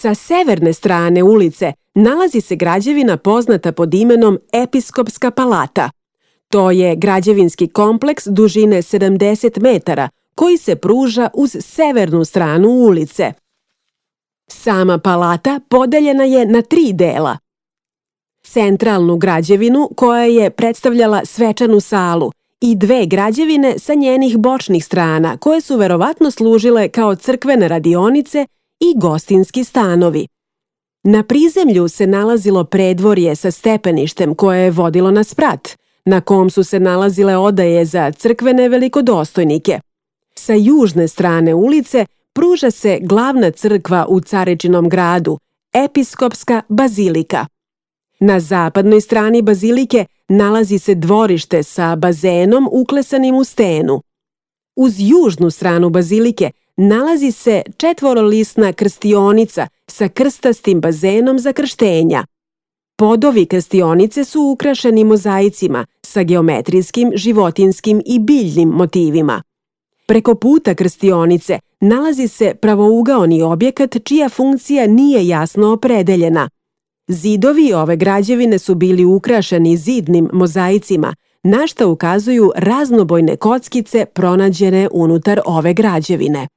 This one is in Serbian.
Sa severne strane ulice nalazi se građevina poznata pod imenom Episkopska palata. To je građevinski kompleks dužine 70 metara koji se pruža uz severnu stranu ulice. Sama palata podeljena je na 3 dela. Centralnu građevinu koja je predstavljala svečanu salu i 2 građevine sa njenih bočnih strana koje su verovatno služile kao crkvene radionice i gostinski stanovi. Na prizemlju se nalazilo predvorje sa stepeništem koje je vodilo na sprat, na kom su se nalazile odaje za crkvene velikodostojnike. Sa južne strane ulice pruža se glavna crkva u Carečinom gradu, Episkopska bazilika. Na zapadnoj strani bazilike nalazi se dvorište sa bazenom uklesanim u stenu. Uz južnu stranu bazilike nalazi se 4-lisna krstionica sa krstastim bazenom za krštenja. Podovi krstionice su ukrašeni mozaicima sa geometrijskim, životinjskim i biljnim motivima. Preko puta krstionice nalazi se pravougaoni objekat čija funkcija nije jasno opredeljena. Zidovi ove građevine su bili ukrašeni zidnim mozaicima, na šta ukazuju raznobojne kockice pronađene unutar ove građevine.